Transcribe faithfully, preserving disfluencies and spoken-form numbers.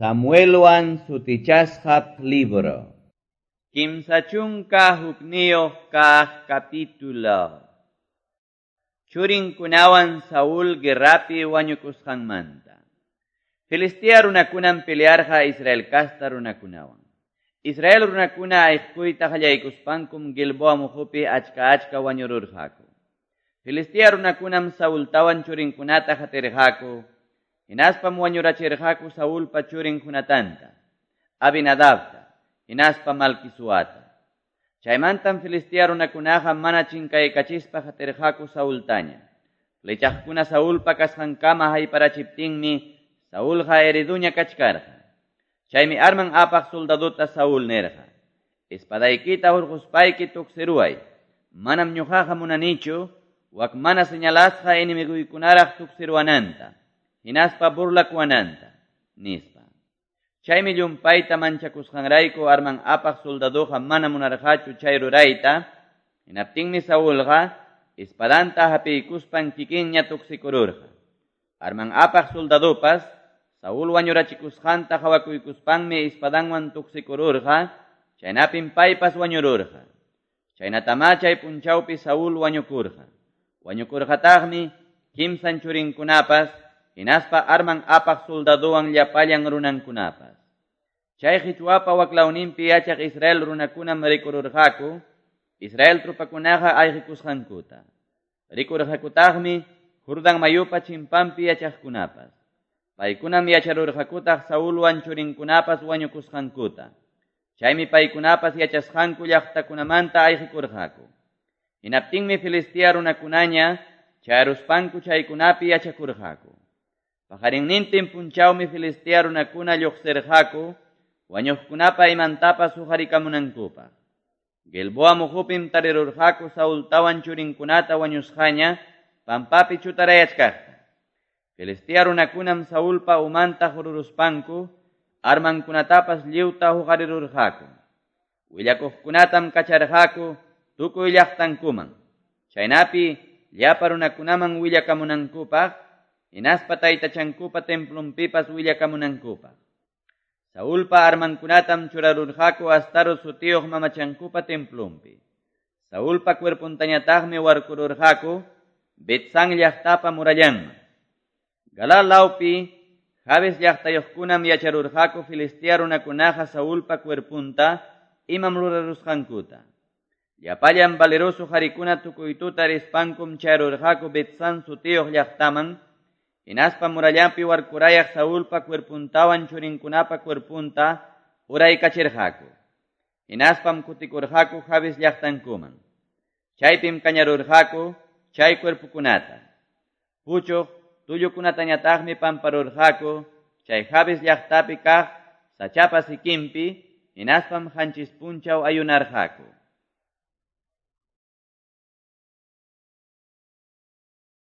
Samuelwan sutichasqa libro. Kimsa chunka hukniyuq kaq capítulo. Churinkunawan Saúl guerrapi wañukusqanmanta. Filistea runakunam pelearqa Israel kasta runakunawan. Israel runakuna ayqkuyta qallaykuspankum Gilboa muhupi achka achka wañururqaku. Filistea runakunam Saultawan churinkunata hatirqaku. Hinaspam wañurachirqaku Saulpa churin Jonatanta, Abinadabta, hinaspa Malquisuata. Chaymantam Filistea runakunaqa mana chinkaykachispa hatirqaku Saultaña. Flechaqkuna Saulpa kasqankama hayparachiptinmi Saulqa heriduña kachkarqa. Chaymi arman apaq soldaduta Saúl nirqa: "Espadaykita hurquspayki tuksiruway. Manam ñuqaqa munanichu wak mana señalasqa enemiguykunaraq tuksiruwananta, hinaspa burlakuwananta", nispa. Chaymi llumpayta manchakusqanrayku arman apaq soldaduqa mana munarqachu chay rurayta. Hinaptinmi Saulqa espadanta hapiykuspan kikinña tuksikururqa. Arman apaq soldadupas Saúl wañurachikusqanta qhawakuykuspanmi espadanwan tuksikururqa, chaynapim paypas wañururqa. Chaynatamá chay punchawpi Saúl wañukurqa. Wañukurqataqmi kimsan churinkunapas, hinaspa arman apaq soldaduwan llapallan runankunapas. Chay qichwapa waklawninpi yachaq Israel runakunam rikururqaku, Israel trupakunaqa ayqikusqankuta. Rikurqakutaqmi Jordán mayupa chimpanpi yachaqkunapas. Paykunam yacharurqakutaq Saulwan churinkunapas wañukusqankuta. Chaymi paykunapas yachasqanku llaqtakunamanta ayqikurqaku. Hinaptinmi Filistea runakunaña chayaruspanku chaykunapi yachakurqaku. Paqarinnintin punchawmi Filistea runakuna lluqsirqaku wañuqkunapa imantapas huqarikamunankupaq. Gilboa muhupim tarirurqaku Saultawan churinkunata wañusqaña pampapi chutarayachkaqta. Filistea runakunam Saulpa umanta hururuspanku armankunatapas lliwta huqarirurqaku. Willakuqkunatam kacharqaku tukuy llaqtankuman. Chaynapi llapa runakunaman willakamunankupaq, hinaspa taytachankupa templunpipas willakamunankupaq. Saulpa armankunatam churarurqaku Astarot sutiyuq mamachankupa templunpi. Saulpa cuerpuntañataqmi warkururqaku Betsán llaqtapa murallanman. Galal lawpi Jabes llaqtayuqkunam yacharurqaku Filistea runakunaqa Saulpa cuerpunta imam rurarusqankuta. Llapallan valeroso qarikuna tukuy tuta rispankum chayarurqaku Betsán sutiyuq llaqtaman, hinaspa murallanpi warkurayaq Saulpa cuerpuntawan churinkunapa cuerpunta uraykachirqaku. Hinaspam kutikurqaku Jabes llaqtankuman. Chaypim kañarurqaku chay cuerpukunata. Puchuq tullukunatañataqmi pamparurqaku chay Jabes llaqtapi kaq sachapa sikinpi, hinaspam qanchis punchaw ayunarqaku.